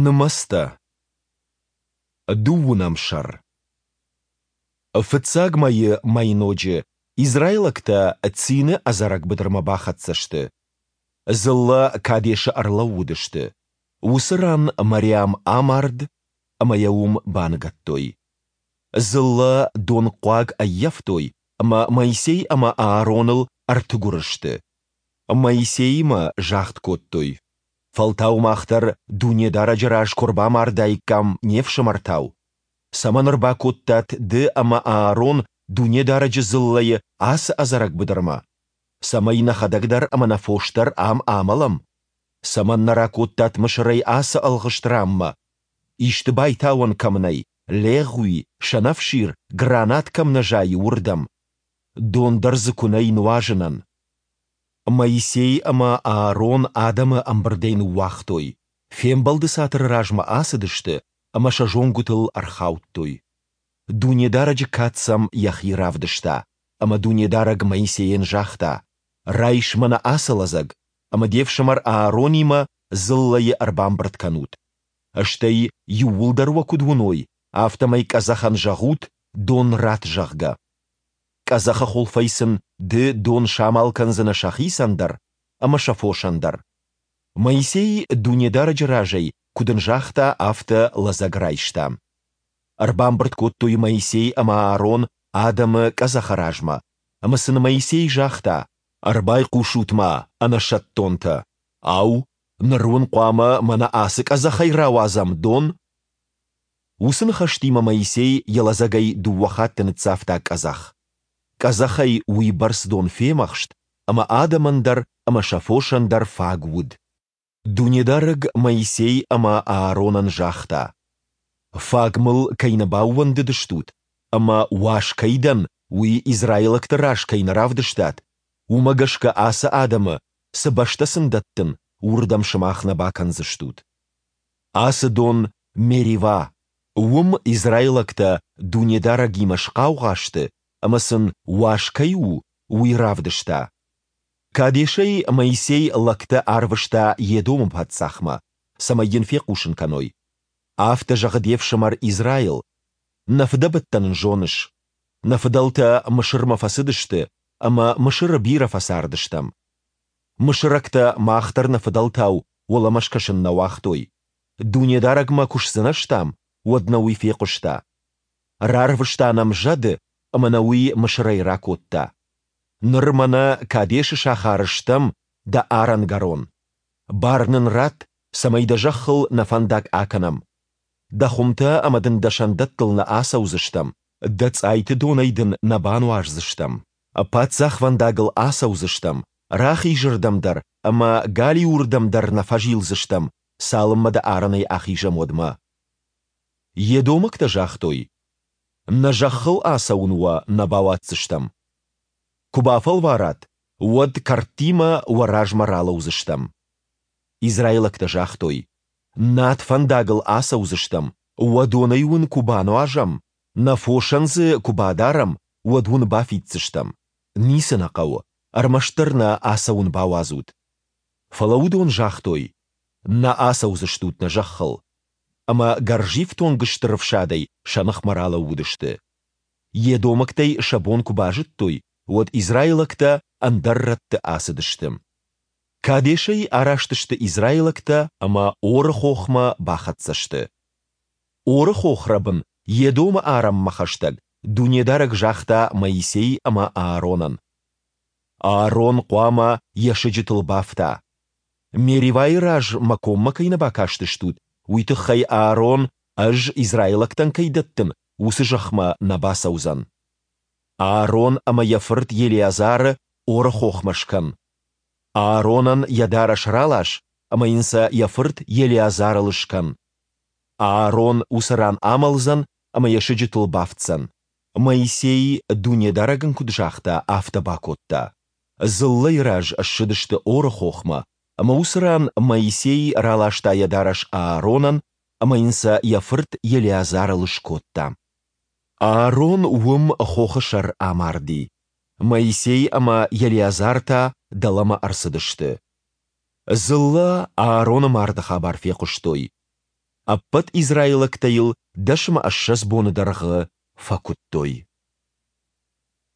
Нымӕцтӕ. Дыууынӕм сӕр. Фыццаг мӕйы мӕйноджы израилӕгтӕ Цины ӕдзӕрӕг быдырмӕ бахӕццӕ сты. Дзыллӕ Кадешы ӕрлӕууыдысты. Уыцы ран Мариам амард, ӕмӕ йӕ уым баныгӕдтой. Дзыллӕ донхъуаг ӕййӕфтой ӕмӕ Моисей ӕмӕ Аароныл ӕртыгуыр сты. Моисеимӕ загъд кодтой: Фӕлтау мах дӕр Дунедарӕджы раз куы ӕрбамардаиккам не фсымӕртау. Цӕмӕн ӕрбакодтат ды ӕмӕ Аарон Дунедарӕджы дзыллӕйы ацы ӕдзӕрӕг быдырмӕ? Цӕмӕй нӕхӕдӕг дӕр ӕмӕ нӕ фос дӕр ам амӕлӕм? Цӕмӕн нӕ ракодтат Мысырӕй ацы ӕлгъыст ранмӕ, исты байтауӕн кӕм нӕй, легъуи, сӕнӕфсир, гранат кӕм нӕ зайы, уырдӕм? Дон дӕр дзы куы нӕй нуазынӕн. Моисей ӕмӕ Аарон адӕмы ӕмбырдӕй ныууагътой, фембӕлды цатыры размӕ ацыдысты ӕмӕ сӕ зонгуытыл ӕрхаудтой. Дунедарӕджы кад сӕм йӕхи равдыста, ӕмӕ Дунедарӕг Моисейӕн загъта, Райс мӕнӕ ацы лӕдзӕг, ӕмӕ де фсымӕр Ааронимӕ дзыллӕйы ӕрбамбырд кӕнут. Стӕй, иууылдӕр уӕ куыд уыной, афтӕмӕй къӕдзӕхӕн зӕгъут, дон ратт, зӕгъгӕ. Къӕдзӕхы хуылфӕй сын ды дон самал кӕндзынӕ сӕхицӕн дӕр ӕмӕ сӕ фосӕн дӕр. Моисей Дунедарӕджы разӕй, куыд ын загъта, афтӕ лӕдзӕг райста. Ӕрбамбырд кодтой Моисей ӕмӕ Аарон адӕмы къӕдзӕхы размӕ, ӕмӕ сын Моисей загъта, Ӕрбайхъусут-ма, ӕнӕсӕттонтӕ! Ау, ныр уын хъуамӕ мӕнӕ ацы къӕдзӕхӕй рауадзӕм дон? Уыцы ныхӕстимӕ Моисей йӕ лӕдзӕгӕй дыууӕ хатты ныццавта къӕдзӕх. Къӕдзӕхӕй уыйбӕрц дон фемӕхст, ӕмӕ адӕмӕн дӕр ӕмӕ сӕ фосӕн дӕр фаг уыд. Дунедарӕг Моисей ӕмӕ Ааронӕн загъта, Фаг мыл кӕй нӕ баууӕндыдыстут ӕмӕ уаз кӕй дӕн, уый израилӕгты раз кӕй нӕ равдыстат, уымӕ гӕсгӕ ацы адӕмы, цы бӕстӕ сын дӕттын, уырдӕм сымах нӕ бакӕндзыстут. Ацы дон Меривӕ. Уым израилӕгтӕ Дунедарӕгимӕ схъаугъа сты, ӕмӕ сын, уаз кӕй у, уый равдыста. Кадешӕй Моисей лӕгтӕ арвыста Едомы паддзахмӕ, цӕмӕй йын фехъусын кӕной: Афтӕ зӕгъы де фсымӕр Израил: Нӕ фыдӕбӕттӕ нын зоныс. Нӕ фыдӕлтӕ Мысырмӕ фӕцыдысты, ӕмӕ Мысыры бирӕ фӕцардыстӕм. Мысырӕгтӕ мах дӕр нӕ фыдӕлтау уӕлӕмӕ скӕсын нӕ уагътой. Дунедарӕгмӕ куы сдзынӕзтам, уӕд нӕ уый фехъуыста. Рарвыста нӕм зӕды, ӕмӕ нӕ уый Мысырӕй ракодта. Ныр мӕнӕ Кадешы сахары стӕм дӕ арӕнгӕрон. Бар нын ратт, цӕмӕй дӕ зӕххыл нӕ фӕндаг акӕнӕм. Дӕ хуымтӕ ӕмӕ дын дӕ сӕндӕттыл нӕ ацӕудзыстӕм, дӕ цъайты донӕй дын нӕ бануаздзыстӕм. Паддзахвӕндагыл ацӕудзыстӕм, рахизырдӕм дӕр ӕмӕ галиуырдӕм дӕр нӕ фӕзилдзыстӕм, цалынмӕ дӕ арӕнӕй ахизӕм, уӕдмӕ. Едомӕгтӕ загътой, Нӕ зӕххыл ацӕуын уӕ нӕ бауадздзыстӕм. Куы бафӕлварат, уӕд кӕрдтимӕ уӕ размӕ ралӕудзыстӕм. Израилӕгтӕ загътой, Над фӕндагыл ацӕудзыстӕм, уӕ донӕй уын куы бануазӕм, нӕ фосӕн дзы куы бадарӕм, уӕд уын бафиддзыстӕм. Ницы нӕ хъӕуы, ӕрмӕстдӕр нӕ ацӕуын бауадзут. Фӕлӕ уыдон загътой, Нӕ ацӕудзыстут нӕ зӕххыл. Ӕмӕ гӕрзифтонг стыр ӕфсадӕй сӕ ныхмӕ ралӕууыдысты. Едомӕгтӕй сӕ бон куы базыдтой, уӕд израилӕгтӕ ӕндӕр рӕтты ацыдысты. Кадешӕй араст сты израилӕгтӕ ӕмӕ Оры хохмӕ бахӕццӕ сты. Оры хохрӕбын Едомы арӕнмӕ хӕстӕг Дунедарӕг загъта Моисей ӕмӕ Ааронӕн: Аарон хъуамӕ йӕ сыджытыл бафта. Меривайы раз мӕ коммӕ кӕй нӕ бакастыстут, уый тыххӕй Аарон, ӕз израилӕгтӕн кӕй дӕттын, уыцы зӕхмӕ нӕ бацӕудзӕн. Аарон ӕмӕ йӕ фырт Елеазары Оры хохмӕ скӕн. Ааронӕн йӕ дарӕс ралас ӕмӕ йын сӕ йӕ фырт Елеазарыл скӕн. Аарон уыцы ран амӕлдзӕн ӕмӕ йӕ сыджытыл бафтдзӕн. Моисей, Дунедарӕг ын куыд загъта, афтӕ бакодта. Дзыллӕйы раз ссыдысты Оры хохмӕ, ӕмӕ уыцы ран Моисей раласта йӕ дарӕс Ааронӕн ӕмӕ йын сӕ йӕ фырт Елеазарыл скодта. Аарон уым хохы сӕр амарди. Моисей ӕмӕ Елеазар та дӕлӕмӕ ӕрцыдысты. Дзыллӕ Аароны марды хабар фехъуыстой. Ӕппӕт израилӕгтӕ йыл 21 боны дӕргъы фӕкуыдтой.